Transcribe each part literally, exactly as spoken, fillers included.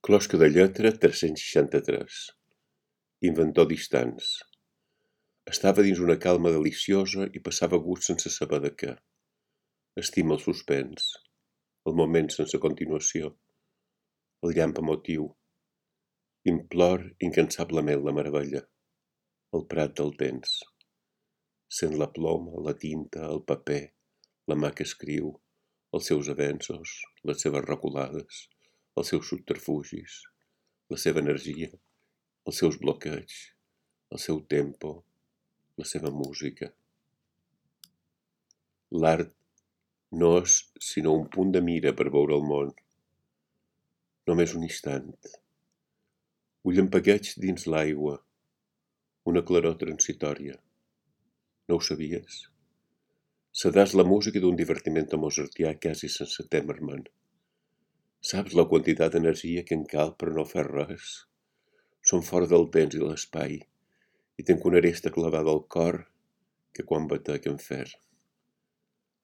Closca de lletra tres-cents seixanta-tres. Inventor distants. Estava dins una calma deliciosa i passava gust sense saber de què. Estima el suspens, el moment sense continuació, el llamp emotiu. Implor incansablement la meravella, el prat del temps. Sent la ploma, la tinta, el paper, la mà que escriu, els seus avenços, les seves reculades, els seus subterfugis, la seva energia, els seus bloqueigs, el seu tempo, la seva música. L'art no és sinó un punt de mira per veure el món. Només un instant. Un llampagueig dins l'aigua, una claror transitòria. No ho sabies? Sedàs la música d'un divertiment mozartià quasi sense temer-me'n. Saps la quantitat d'energia que en cal per no fer res? Són fora del temps i l'espai i tenc una aresta clavada al cor que quan batec en fer.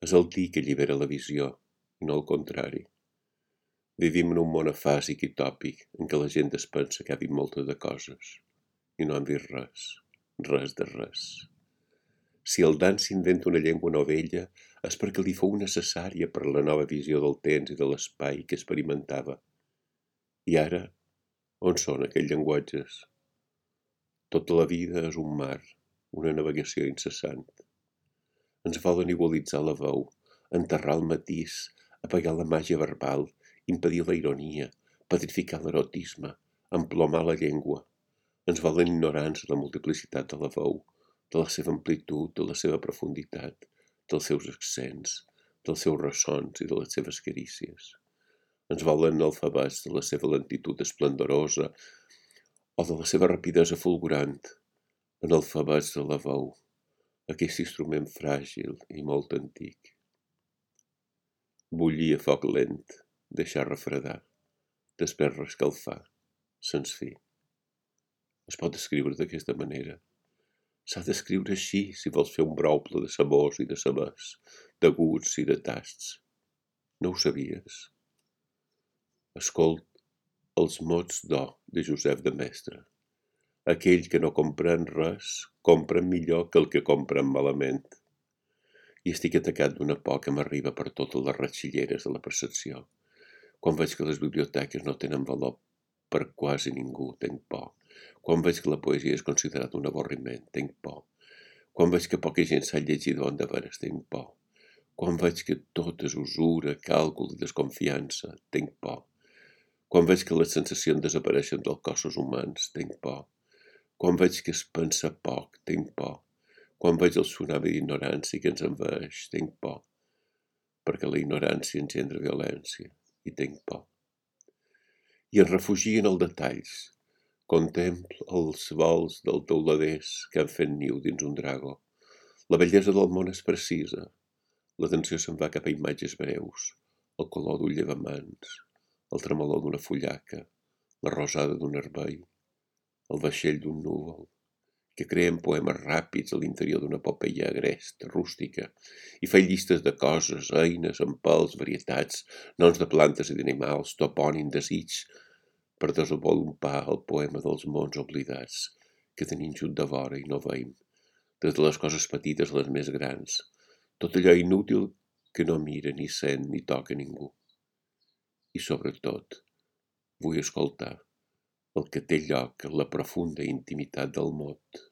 És el dir que allibera la visió i no el contrari. Vivim en un món afàsic i tòpic en què la gent es pensa que ha vist moltes de coses i no han vist res, res de res. Si el Dan s'inventa una llengua novella és perquè li fou necessària per la nova visió del temps i de l'espai que experimentava. I ara, on són aquells llenguatges? Tota la vida és un mar, una navegació incessant. Ens volen igualitzar la veu, enterrar el matís, apagar la màgia verbal, impedir la ironia, petrificar l'erotisme, emplomar la llengua. Ens volen ignorants de la multiplicitat de la veu, de la seva amplitud, de la seva profunditat, dels seus accents, dels seus ressons i de les seves carícies. Ens volen analfabets de la seva lentitud esplendorosa o de la seva rapidesa fulgurant, analfabets de la veu, aquest instrument fràgil i molt antic. Bullir a foc lent, deixar refredar, després reescalfar, sens fi. Es pot escriure d'aquesta manera. S'ha d'escriure així si vols fer un brouple de sabors i de sabers, de gusts i de tasts. No ho sabies? Escolt els mots d'O de Josep de Mestre. Aquell que no comprèn res, comprèn millor que el que comprèn malament. I estic atacat d'una por que m'arriba per totes les ratxilleres de la percepció. Quan veig que les biblioteques no tenen valor per quasi ningú, tenc por. Quan veig que la poesia és considerada un avorriment, tenc por. Quan veig que poca gent sap llegir de bon de veres, tenc por. Quan veig que tot és usura, càlcul i desconfiança, tenc por. Quan veig que les sensacions desapareixen dels cossos humans, tenc por. Quan veig que es pensa poc, tenc por. Quan veig el tsunami d'ignorància que ens envaeix, tenc por. Perquè la ignorància engendra violència, i tenc por. I em refugio en els detalls. Contemplo els vols dels teuladers que han fet niu dins un drago. La bellesa del món és precisa. L'atenció se'n va cap a imatges breus, el color d'un llevamans, el tremolor d'una fullaca, la rosada d'un herbei, el vaixell d'un núvol, que creen poemes ràpids a l'interior d'una epopeia agresta, rústica, i fa llistes de coses, eines, empels, varietats, noms de plantes i d'animals, topònim, desig, per desenvolupar el poema dels mons oblidats, que tenim junt de vora i no veiem, des de les coses petites a les més grans, tot allò inútil que no mira, ni sent, ni toca ningú. I sobretot, vull escoltar el que té lloc en la profunda intimitat del mot.